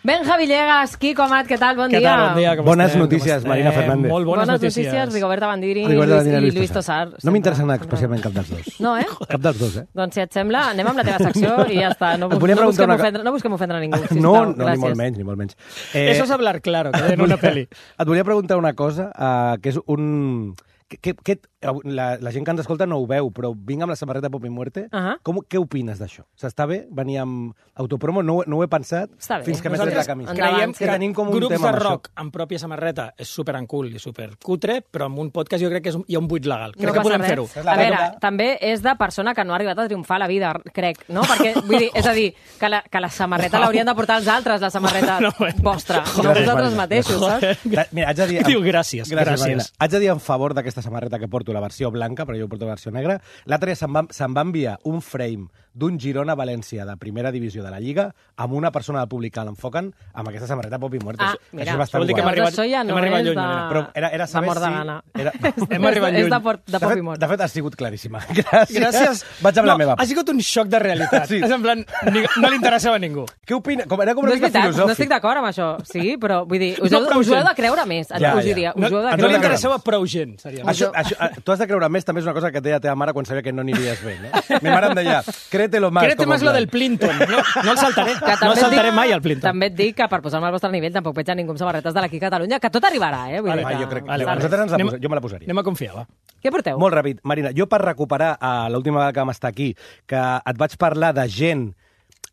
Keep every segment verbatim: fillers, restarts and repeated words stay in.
Benja Villegas, Quico Amat, què tal? Bon què dia. Tal? Bon dia com bones estem? notícies, Marina Fernández. Molt bones, bones notícies. notícies, Rigoberta Bandini Rigoberta i, Bandini i Lluís Tossar. No m'interessen especialment cap dels dos. No, eh? Cap dels dos, eh? Doncs si et sembla, anem amb la teva secció i ja està. No, Et bus volia no, preguntar busquem, una co- ofendre, no busquem ofendre a ningú, sisplau. No, no, ni Gràcies. molt menys, ni molt menys. Eh, Eso es hablar claro, que en una peli. Et volia preguntar una cosa, uh, que és un... Que, que, que, la, la gent que ens escolta no ho veu, però vinc amb la samarreta Pop i Muerte. Uh -huh. Com, què opines d'això? S'està bé? Venir amb autopromo? No, no ho he pensat Està bé. fins que m'he tret la camisa. Endavant, Creiem sí. que tenim com un grups tema de amb això. rock amb pròpia samarreta és super cool i super cutre, però amb un podcast jo crec que és un, hi ha un buit legal. Crec No que passa podem res. fer-ho. És la A veure, regla. també és de persona que no ha arribat a triomfar a la vida, crec, no? Perquè, vull dir, és a dir, que la, que la samarreta l'haurien de portar els altres, la samarreta No, bueno. vostra, no Gràcies, vosaltres Marina. mateixos, saps? Da- Mira, haig de dir... Diu gràcies, gràcies, gràcies. Marina. Haig de dir en favor d'aquesta samarreta que porto, la versió blanca, però jo porto la versió negra. L'altre dia se'm va, se'm va enviar un frame d'un Girona-València de primera divisió de la Lliga amb una persona del públic que l'enfoquen amb aquesta samarreta Pop i Muerte. Ah, Això mira. és bastant Vol dir que guai. hem arribat- Això ja no hem arribat és lluny, de... Marina. Però era, era de saber mort de si... gana. Era... Hem arribat És lluny. de, por, de De pop i fet, mort. de fet, ha sigut claríssima. Gràcies. Gràcies. Vaig amb no, la meva. Ha sigut un xoc de realitat. Sí. És en plan, ni, no li interessava a ningú. Què opina? Com, era com No una és mica veritat, filosòfic. no estic d'acord amb això. Sí, però vull dir, us, No heu, prou us ho heu gent. de creure més. Ja, us ja. diria, No, us ho heu de no li creure més. interessava prou gent, seria. Això, això, eh, tu has de creure més, també és una cosa que et deia la teva mare quan sabia que no aniries bé. No? Mi mare em deia, créetelo más. Créete com más en lo plan. del Plinton. No, no el saltaré. Que No també el et saltaré dic- mai, al Plinton. També et dic que per posar-me al vostre nivell tampoc veig a ningú amb samarretes de l'equip Catalunya, que tot arribarà, eh? Vull Vale, dir que... Ah, jo crec, Vale, jo, vale. nosaltres ens la Anem- posa, jo me la posaria. Anem a confiar, va. Què porteu? Molt ràpid. Marina, jo per recuperar uh, l'última vegada que vam estar aquí, que et vaig parlar de gent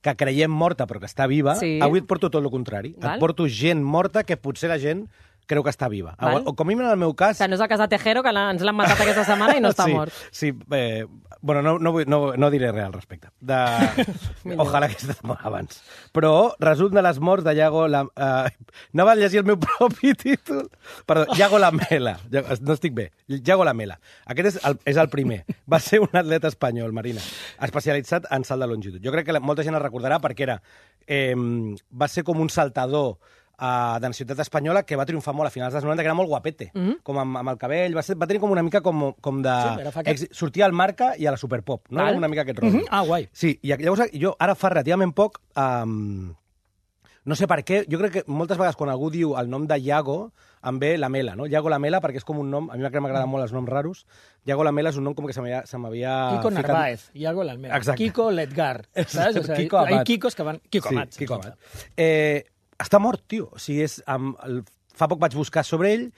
que creiem morta però que està viva, Sí. avui et porto tot el contrari. Val. Et porto gent morta que potser la gent creu que està viva. Val. O, o com a mínim en el meu cas... Que no és el cas de Tejero, que l'ha- ens l'han matat aquesta setmana i no està sí, mort. Sí, eh, bueno, no, no, vull- no, no diré res al respecte. De... Ojalà que estés mort abans. Però resum de les morts de Iago... La... Uh, anava a llegir el meu propi títol. Perdó, Iago Lamela. Ja- No estic bé. Iago Lamela. Aquest és el, és el primer. Va ser un atleta espanyol, Marina, especialitzat en salt de longitud. Jo crec que la, molta gent el recordarà perquè era... Eh, va ser com un saltador uh, de la ciutat espanyola que va triomfar molt a finals dels noranta, que era molt guapete, mm -hmm. com amb, amb el cabell, va, ser, va tenir com una mica com, com de... Sí, era fa que- Ex, sortia al Marca i a la Superpop, no? Val. Una mica aquest rotllo. Mhm. Ah, guai. Sí, i llavors jo ara fa relativament poc... Um, no sé per què, jo crec que moltes vegades quan algú diu el nom de Iago, em ve Lamela, no? Iago Lamela, perquè és com un nom... A mi m'agraden molt els noms raros. Iago Lamela és un nom com que se m'havia... Se m'havia Kiko ficat- Narváez, Iago l'Almera. Exacte. Kiko Ledgar. ¿Sabes? O sea, Kiko hay Amat. Kikos que van... Kiko Sí, Amat. Kiko Amat. Eh, està mort, tio. O sigui, és, amb el, fa poc vaig buscar sobre ell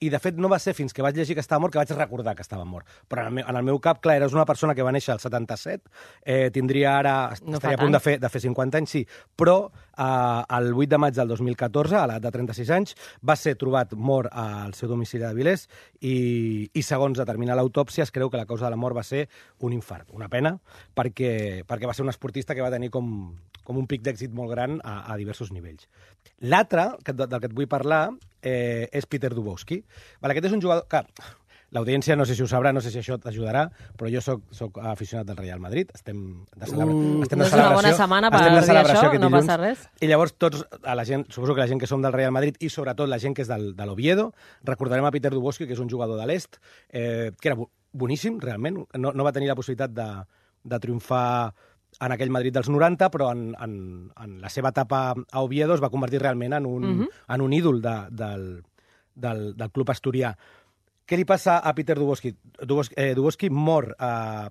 i, de fet, no va ser fins que vaig llegir que estava mort que vaig recordar que estava mort. Però en el meu, en el meu cap, clar, eres una persona que va néixer al setanta-set, eh, tindria ara... No estaria fa a punt de tant. fer, de fer cinquanta anys, sí, però eh, el vuit de maig del dos mil catorze, a l'edat de trenta-sis anys, va ser trobat mort al seu domicili de Vilés i, i segons determina l'autòpsia, es creu que la causa de la mort va ser un infart. Una pena, perquè, perquè va ser un esportista que va tenir com, com un pic d'èxit molt gran a, a diversos nivells. L'altre, que, del que et vull parlar, eh, és Peter Dubowski. Vale, aquest és un jugador que... L'audiència no sé si ho sabrà, no sé si això t'ajudarà, però jo soc, soc aficionat del Real Madrid. Estem de, celebra... Uh, estem no de és una celebració. bona setmana per estem de dir celebració això, aquest no dilluns. passa res. I llavors tots, a la gent, suposo que la gent que som del Real Madrid i sobretot la gent que és del, de l'Oviedo, recordarem a Peter Dubowski, que és un jugador de l'Est, eh, que era bo- boníssim, realment. No, no va tenir la possibilitat de, de triomfar en aquell Madrid dels noranta, però en, en, en la seva etapa a Oviedo es va convertir realment en un, Mhm. en un ídol de, del, del, del club asturià. Què li passa a Peter Dubowski? Dubowski, eh, Dubowski mor... Eh,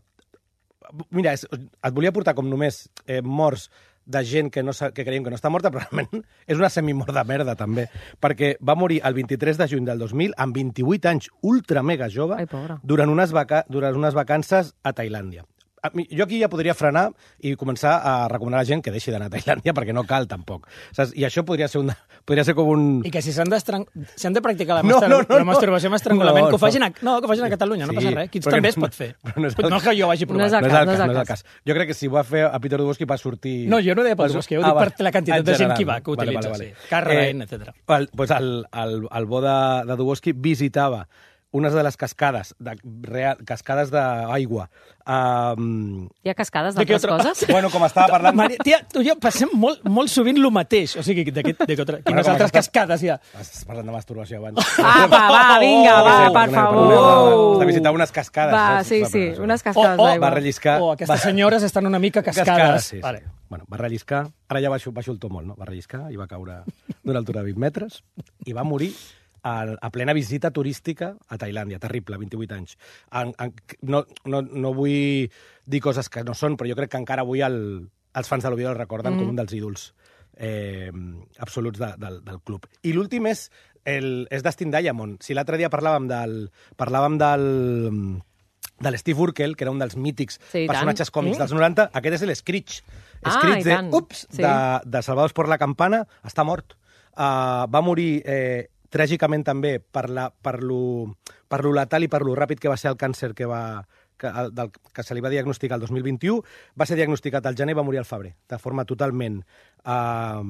mira, és, et volia portar com només eh, morts de gent que, no, sa- que creiem que no està morta, però realment és una semimort de merda, també, perquè va morir el vint-i-tres de juny del dos mil, amb vint-i-vuit anys, ultra mega jove, Ai, pobra. durant unes, vaca durant unes vacances a Tailàndia. A mi, jo aquí ja podria frenar i començar a recomanar a la gent que deixi d'anar a Tailàndia, perquè no cal, tampoc. Saps? I això podria ser, una, podria ser com un... I que si s'han d'estrang- si han de practicar la, No, mastur no, no, la masturbació amb estrangulament, no, que ho facin a, no. no, que ho facin a Catalunya, no Sí, passa res. Qui però també que es no- pot fer. però no és el No que jo vagi No és provat. el no és cas, el no és cas, el no és el cas. cas. Jo crec que si ho va fer a Peter Dubowski va sortir... No, jo no deia per Dubowski, ho dic va. per la quantitat En de gent general, que va, que utilitza, sí. Carradine, etcètera. El, pues el, el, el bo de, de Dubowski visitava unes de les cascades, de, real, cascades d'aigua. Um, Hi ha cascades De què d'altres otra- coses? bueno, com estava parlant... Maria, tia, tu i jo passem molt, molt sovint lo mateix. O sigui, de, de, de, de, quines com altres aquesta- cascades hi ha? Estàs parlant de masturbació abans. Apa, va, vinga, va, Sí, per perdoneu, favor. perdoneu. Has de visitar unes cascades. Va, saps? sí, Va, sí, perdó, unes això. cascades O- o- d'aigua. Va relliscar... O aquestes va- senyores estan una mica cascades. sí, sí. Vale. Bueno, va relliscar, ara ja baixo, baixo el to molt, no? Va relliscar i va caure d'una altura de vint metres i va morir a, a plena visita turística a Tailàndia. Terrible, vint-i-vuit anys. En, en, no, no, no vull dir coses que no són, però jo crec que encara avui el, els fans de l'Oviedo el recorden mm. com un dels ídols eh, absoluts de, del, del club. I l'últim és, el, és Dustin Diamond. Si l'altre dia parlàvem del... Parlàvem del de l'Steve Urkel, que era un dels mítics Sí, i personatges tant. còmics Mm. dels noranta, aquest és l'Screech. Ah, Screech i de, tant. ups, Sí. de, de Salvados por la Campana, està mort. Uh, va morir eh, tràgicament també per, la, per, lo, per lo letal i per lo ràpid que va ser el càncer que, va, que, el, del, que se li va diagnosticar el dos mil vint-i-u. Va ser diagnosticat al gener i va morir al febrer, de forma totalment uh,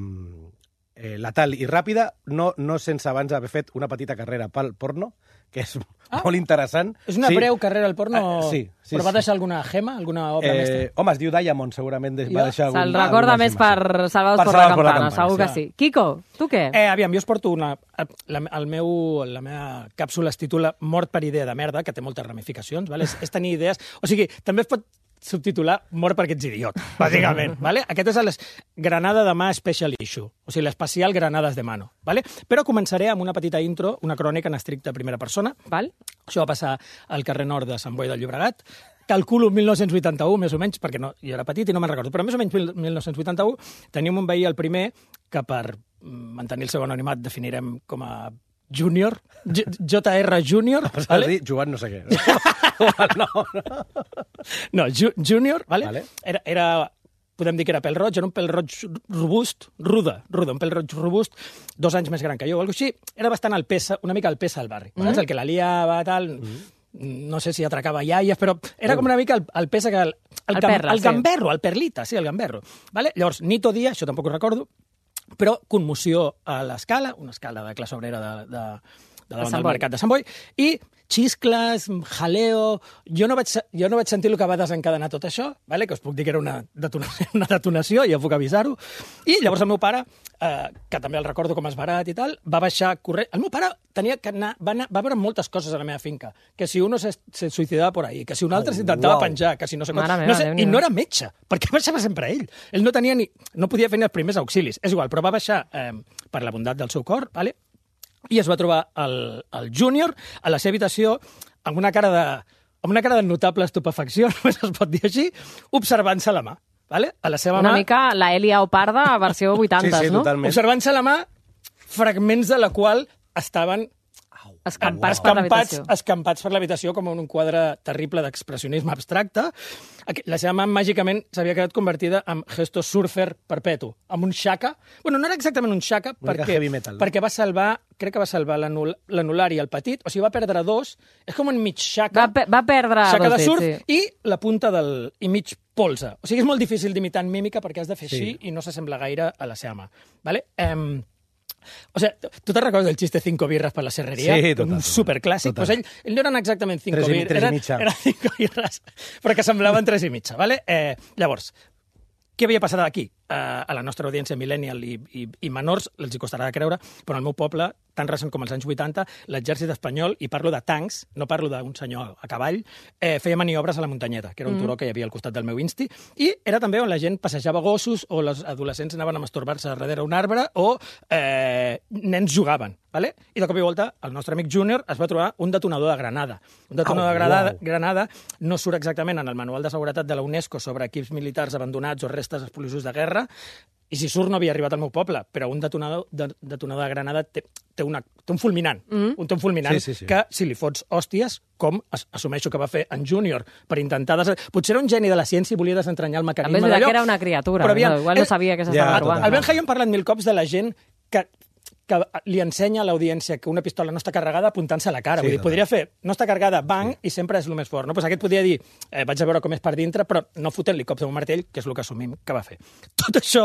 eh, letal i ràpida, no, no sense abans haver fet una petita carrera pel porno, que és ah, molt interessant. És una sí. breu carrera al porno, Ah, sí, sí, però va sí. deixar alguna gema, alguna obra mestra? Eh, home, es diu Diamond, segurament de, va Jo? deixar... Se'l algun- recorda alguna més gema, per sí. Salvados Per por la Salvados por la Campana, Campana, segur que sí. sí. Quico, tu què? Eh, aviam, jo us porto una... La, el meu, la meva càpsula es titula Mort per idea de merda, que té moltes ramificacions, vale? és, és tenir idees... O sigui, també es pot subtitular Mort perquè ets idiot, bàsicament. Vale? Aquest és el Granada de mà Special Issue, o sigui, l'especial Granades de mano. Vale? Però començaré amb una petita intro, una crònica en estricta primera persona. Val? Això va passar al carrer nord de Sant Boi del Llobregat. Calculo mil nou-cents vuitanta-u, més o menys, perquè no, jo era petit i no me'n recordo, però més o menys mil nou-cents vuitanta-u teníem un veí, el primer, que per mantenir el seu anonimat definirem com a júnior, J R Júnior. Vale? Vale? Dir, Joan no sé què. no, no. No, ju júnior, vale? Vale. Era, era, podem dir que era pèl roig, era un pèl roig robust, ruda, ruda, un pèl roig robust, dos anys més gran que jo, o alguna cosa així. Era bastant el pesa, una mica el pesa del barri. Mm -hmm. El que la liava, tal... Mm -hmm. No sé si atracava iaies, però era com una mica el, el pesa que... El, el, El gam, perla, el sí. gamberro, el perlita, sí, el gamberro. Vale? Llavors, nit o dia, això tampoc ho recordo, però conmoció a l'escala, una escala de classe obrera de, de, de davant Sant del Boi. mercat de Sant Boi, i xiscles, jaleo... Jo no vaig, jo no vaig sentir el que va desencadenar tot això, vale? Que us puc dir que era una detonació, una detonació ja puc avisar-ho. I llavors el meu pare, eh, que també el recordo com a esbarat i tal, va baixar corrent. El meu pare tenia que anar, va, anar, va veure moltes coses a la meva finca, que si uno se, se suïcidava por ahí, que si un altre Oh, s'intentava uau. penjar, que si no sé Mare quant... meva, No sé, Déu-n'hi-do. I no era metge, perquè baixava sempre ell. Ell no tenia ni... No podia fer ni els primers auxilis. És igual, però va baixar eh, per la bondat del seu cor, vale? I es va trobar el, el júnior a la seva habitació amb una cara de, amb una cara de notable estupefacció, només es pot dir així, observant-se la mà. Vale? A la seva Una mà, mica la Elia Oparda versió vuitanta, Sí, sí, no? totalment. observant-se la mà, fragments de la qual estaven Escampats per escampats, l'habitació. escampats per l'habitació com en un quadre terrible d'expressionisme abstracte. Aqu- La seva mà màgicament s'havia quedat convertida en gesto surfer perpetu, amb un xaca. Bueno, no era exactament un xaca, Una mica perquè, heavy metal, no? perquè va salvar, crec que va salvar l'anul- l'anular i el petit, o sigui, va perdre dos, és com un mig xaca, Va, pe va perdre xaca dos de surf dits, sí. i la punta del... i mig polze. O sigui, és molt difícil d'imitar en mímica perquè has de fer Sí. així i no s'assembla gaire a la seva mà. Vale? Um, o sigui, tu te'n recordes del xiste cinco birres per la serreria? Sí, total, Un total. superclàssic. Total. Pues ell, ell no eren exactament cinco Tres i- birres, tres i eren, mitja. eren cinco birres, però que semblaven tres i mitja. Vale? Eh, llavors, què havia passat aquí? Uh, a la nostra audiència millennial i, i, i menors els hi costarà de creure, però al meu poble, tan recent com els anys vuitanta, l'exèrcit espanyol, i parlo de tancs, no parlo d'un senyor a cavall, eh, feia maniobres a la muntanyeta, que era un turó que hi havia al costat del meu insti, i era també on la gent passejava gossos o els adolescents anaven a masturbar-se darrere un arbre o eh, nens jugaven. Vale? I de cop i volta, el nostre amic Júnior es va trobar un detonador de granada. Un detonador Au, de granada, uau. granada no surt exactament en el manual de seguretat de la UNESCO sobre equips militars abandonats o restes explosius de guerra, i si surt no havia arribat al meu poble, però un detonador de, detonador de granada té, té, una, té un fulminant, mm. un, té un fulminant Sí, sí, sí. que si li fots hòsties, com as, assumeixo que va fer en Júnior, per intentar... Des... Potser era un geni de la ciència i volia desentranyar el mecanisme També és veritat d'allò. que era una criatura, però aviam, no? Igual no el- sabia que Ja, s'estava total. provant. el Ben Hayon ha parlat mil cops de la gent que, que li ensenya a l'audiència que una pistola no està carregada apuntant-se a la cara. Sí, Vull dir, podria fer, no està carregada, bang, sí. i sempre és el més fort. No? Pues aquest podia dir, eh, vaig a veure com és per dintre, però no fotent-li cops amb un martell, que és el que assumim que va fer. Tot això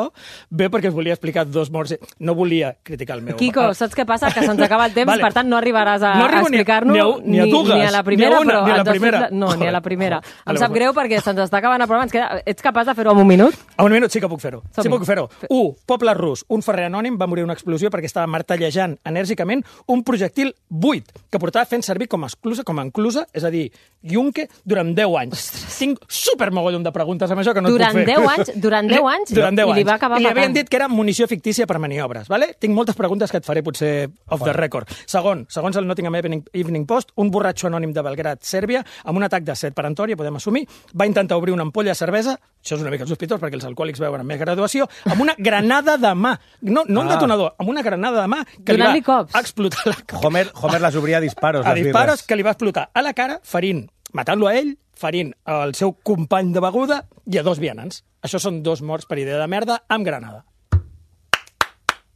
ve perquè us volia explicar dos morts. No volia criticar el meu... Quico, saps què passa? Que se'ns acaba el temps, vale. per tant no arribaràs a, no a explicar-nos ni, a, ni, a dues, ni a la primera, ni a una, però... ni a la ens has primera. fet la- No, Joder, ni a la primera. joder. Em Vale, sap pues- greu perquè se'ns està acabant el programa. Ens queda... Ets capaç de fer-ho en un minut? A un minut sí que puc fer-ho. Sí Som-hi. puc fer-ho. Un, poble rus. Un ferrer anònim va morir en una explosió perquè estava martellejant enèrgicament un projectil buit que portava fent servir com a exclusa, com a enclusa, és a dir, yunque, durant deu anys. Tinc supermogollon de preguntes amb això que no Durant et puc fer. deu anys? Durant deu anys? Durant deu I li anys. va acabar I li havien matant. dit que era munició fictícia per maniobres. Vale? Tinc moltes preguntes que et faré potser off the record. Segon, segons el Nottingham Evening, Evening Post, un borratxo anònim de Belgrad, Sèrbia, amb un atac de set perantòria, podem assumir, va intentar obrir una ampolla de cervesa, això és una mica sospitós perquè els alcohòlics veuen amb més graduació, amb una granada de mà. No, no un Ah. detonador, amb una granada de mà que li Donant-li va cops. explotar la cara. Homer, Homer les obria a disparos, A les disparos birres. que li va explotar a la cara, ferint, matant-lo a ell, ferint el seu company de beguda i a dos vianants. Això són dos morts per idea de merda amb granada.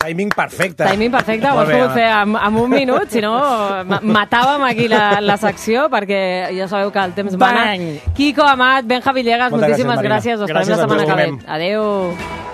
Timing perfecte. Timing perfecte, ho Molt has bé, pogut home. fer en, en un minut, si no ma- matàvem aquí la, la secció, perquè ja sabeu que el temps mana. Bang! Quico, Amat, Benja Villegas, Moltes moltíssimes gràcies, gràcies. Marina. Us esperem Gràcies la a setmana tu. que ve. Adéu.